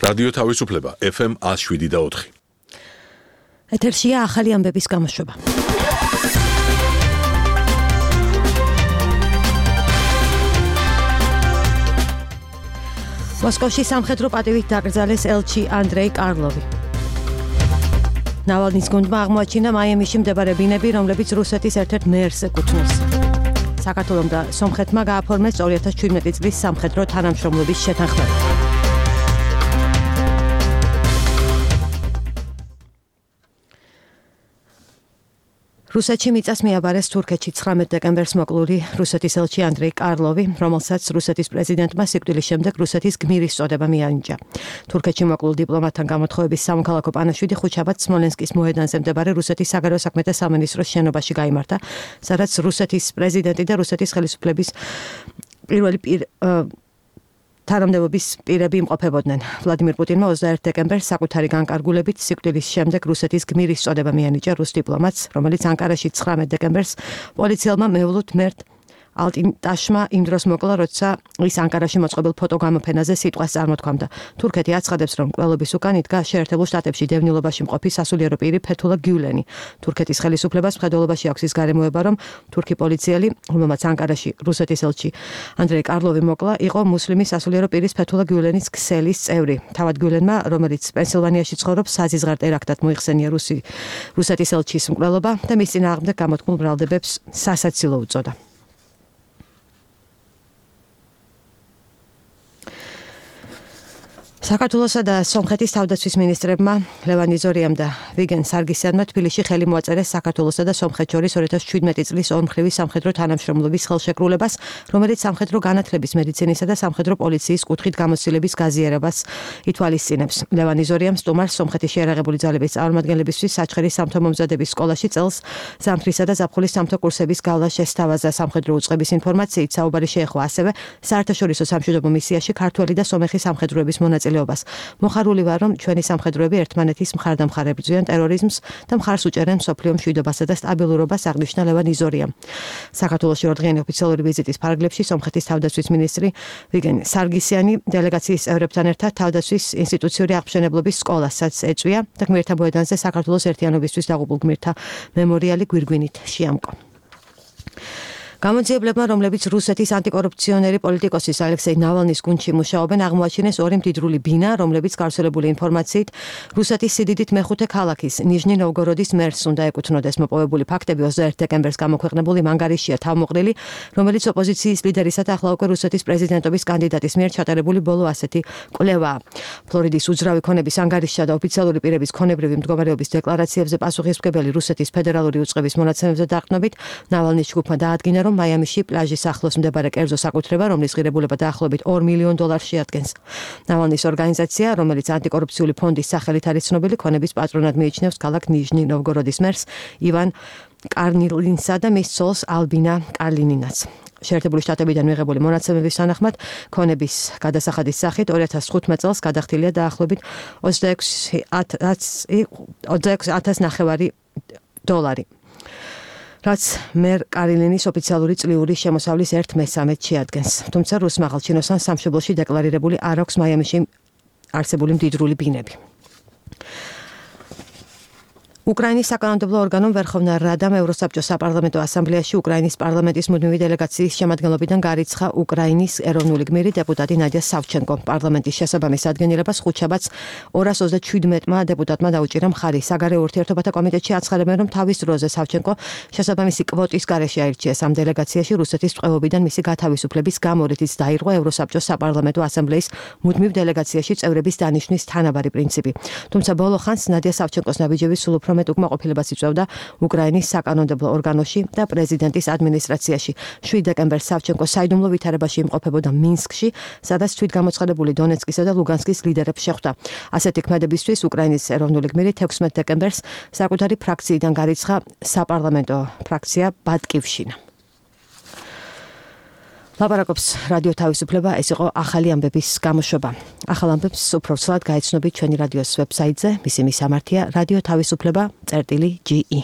რადიო თავისუფლება FM 107.4. ეთერშია ახალი ამბების გამოშვება. მოსკოვში სამხედრო პატივით დაკრძალეს ელჩი ანდრეი კარლოვი. ნავალნის გუნდმა აღმოაჩინა მაიამიში მდებარე ბინები, რომლებიც რუსეთის ერთ-ერთ მერს ეკუთვნის. საქართველომ და სომხეთმა გააფორმეს 2017 წლის სამხედრო თანამშრომლობის შეთანხმება. რუსეთში მიწას მიაბარეს თურქეთში 19 დეკემბერს მოკლული რუსეთის ელჩი ანდრეი კარლოვი, რომელსაც რუსეთის პრეზიდენტმა სიკვდილის შემდეგ რუსეთის გმირის წოდება მიანიჭა. თურქეთში მოკლულ დიპლომატთან გამოთხოვების სამოქალაქო პანაშვიდი ხუთშაბათს სმოლენსკის მოედანზე მდებარე რუსეთის საგარეო საქმეთა სამინისტროს შენობაში გაიმართა, სადაც რუსეთის პრეზიდენტი და რუსეთის ხელისუფლების პირველი თანამდებობის პირები იმყოფებოდნენ. ვლადიმირ პუტინმა 21 დეკემბერს საკუთარი განკარგულებით სიკვდილის შემდეგ რუსეთის გმირის წოდება მიანიჭა რუს დიპლომატს, რომელიც ანკარაში 19 დეკემბერს პოლიციელმა მეულუთ მერტ ალტიმტაშმა იმ დროს მოკლა, როცა ის ანკარაში მოწყობილ ფოტოგამოფენაზე სიტყვას წარმოთქვამდა. თურქეთი აცხადებს, რომ მკვლელობის უკან იდგა შეერთებულ შტატებში დევნილობაში მყოფი სასულიერო პირი ფეთულა გიულენი. თურქეთის ხელისუფლებას მხედველობაში აქვს ის გარემოება, რომ თურქი პოლიციელი, რომელმაც ანკარაში რუსეთის ელჩი ანდრეი კარლოვი მოკლა, იყო მუსლიმი სასულიერო პირის ფეთულა გიულენის ქსელის წევრი. თავად გიულენმა, რომელიც პენსილვანიაში ცხოვრობს, საზიზღარ ტერაქტად მოიხსენია რუსეთის ელჩის მკვლელობა და მის წინააღმდეგ გამოთქმულ ბრალდებებს სასაცილო უწოდა. საქართველოსა და სომხეთის თავდაცვის მინისტრებმა ლევან იზორიამ და ვიგენ სარგისიანმა თბილისში ხელი მოაწერეს საქართველოსა და სომხეთს შორის 2017 წლის ორმხრივი სამხედრო თანამშრომლობის ხელშეკრულებას, რომელიც სამხედრო განათლების, მედიცინისა და სამხედრო პოლიციის კუთხით გამოცდილების გაზიარებას ითვალისწინებს. ლევან იზორიამ სტუმარს სომხეთის შეიარაღებული ძალების წარმომადგენლებისთვის საჩხერის სამთო მომზადების სკოლაში წელს ზამთრისა და ზაფხულის სამთო კურსების გავლა შესთავაზა. სამხედრო უწყების ინფორმაციით საუბარი შეეხო ასევე საერთაშორისო სამშვიდობო მისიაში ქართველი და სომეხი სამხედროების მონაწილეობას. მოხარული ვარ, რომ ჩვენი სამხედროები ერთმანეთის მხარდამხარ ებრძვიან ტერორიზმს და მხარს უჭერენ მსოფლიო მშვიდობასა და სტაბილურობას, აღნიშნა ლევან იზორიამ. საქართველოში ორდღიანი ოფიციალური ვიზიტის ფარგლებში სომხეთის თავდაცვის მინისტრი ვიგენ სარგისიანი დელეგაციის წევრებთან ერთად თავდაცვის ინსტიტუციური აღმშენებლობის სკოლასაც ეწვია და გმირთა მოედანზე საქართველოს ერთიანობისთვის დაღუპულ გმირთა მემორიალი გვირგვინით შეამკო. გამოძიებლებმა, რომლებიც რუსეთის ანტიკორუფციონერი პოლიტიკოსის ალექსეი ნავალნის გუნდში მუშაობენ, აღმოაჩინეს ორი მდიდრული ბინა, რომლებიც გავრცელებული ინფორმაციით რუსეთის სიდიდით მეხუთე ქალაქის ნიჟნი ნოვგოროდის მერს უნდა ეკუთვნოდეს. მოპოვებული ფაქტები 21 დეკემბერს გამოქვეყნებული მანგარიშია თავმოყრილი, რომელიც ოპოზიციის ლიდერისა და ახლა უკვე რუსეთის პრეზიდენტობის კანდიდატის მიერ ჩატარებული ბოლო ასეთი კვლევაა. ფლორიდის უძრავი ქონების ანგარიშსა და ოფიციალური პირების ქონებრივი მდგომარეობის დეკლარაციებზე პასუხისმგებელი რუსეთის ფედერალური უწყების მონაცემებზე დაყრდნობით, ნავალნის ჯგუფმა დაადგინა, რომ მაიამიში პლაჟის ახლოს მდებარე კერძო საკუთრება, რომლის ღირებულება დაახლოებით $2 მილიონ შეადგენს. ნავალნის ორგანიზაცია, რომელიც ანტიკორუფციული ფონდის სახელით არის ცნობილი, ქონების პატრონად მიიჩნევს ქალაქ ნიჟნი ნოვგოროდის მერს ივან კარნილინსა და მის ცოლს ალბინა კარლინინას. შეერთებული შტატებიდან მიღებული მონაცემების თანახმად, ქონების გადასახადის სახით 2015 წელს გადახდილია დაახლოებით $26,900, რაც მერ კარლინის ოფიციალური წლიური შემოსავლის 1/3 შეადგენს. თუმცა რუს მაღალჩინოსან სამშობლოში დეკლარირებული არ აქვს მაიამიში არსებული მდიდრული ბინები. უკრაინის საკანონმდებლო ორგანომ ვერხოვნა რადამ ევროსაბჭოს საპარლამენტო ასამბლეაში უკრაინის პარლამენტის მუდმივი დელეგაციის შემადგენლობიდან გარიცხა უკრაინის ეროვნული გმირი დეპუტატი ნადია სავჩენკო. პარლამენტის შესაბამის ადგენილებას ხუთშაბათს 237-მა დეპუტატმა დაუჭირა მხარი. საგარეო ურთიერთობათა კომიტეტში აცხადებენ, რომ თავის დროზე სავჩენკო შესაბამისი კვოტის გარეშე აირჩიეს ამ დელეგაციაში რუსეთის ტყვეობიდან მისი გათავისუფლების გამო, რითიც დაირღვა ევროსაბჭოს საპარლამენტო ასამბლეის მუდმივ დელეგაციაში წევრების დანიშვნის თანაბარი პრინციპი. თუმცა ბოლო ხანს ნადია სავჩენკოს ნაბიჯები სულ უფრო მეტ უკმაყოფილებას იწვევდა უკრაინის საკანონმდებლო ორგანოში და პრეზიდენტის ადმინისტრაციაში. 7 დეკემბერს სავჩენკო საიდუმლო ვითარებაში იმყოფებოდა მინსკში, სადაც თვითგამოცხადებული დონეცკისა და ლუგანსკის ლიდერებს შეხვდა. ასეთი ქმედებისთვის უკრაინის ეროვნული გმირი 16 დეკემბერს საკუთარი ფრაქციიდან გარიცხა საპარლამენტო ფრაქცია ბატკივშინა. ლაპარაკობს რადიო თავისუფლება, ეს იყო ახალი ამბების გამოშვება. ახალ ამბებს უფრო ცუდად გაეცნობით ჩვენი რადიოს ვებსაიტზე, მისი მისამართია რადიო თავისუფლება.ge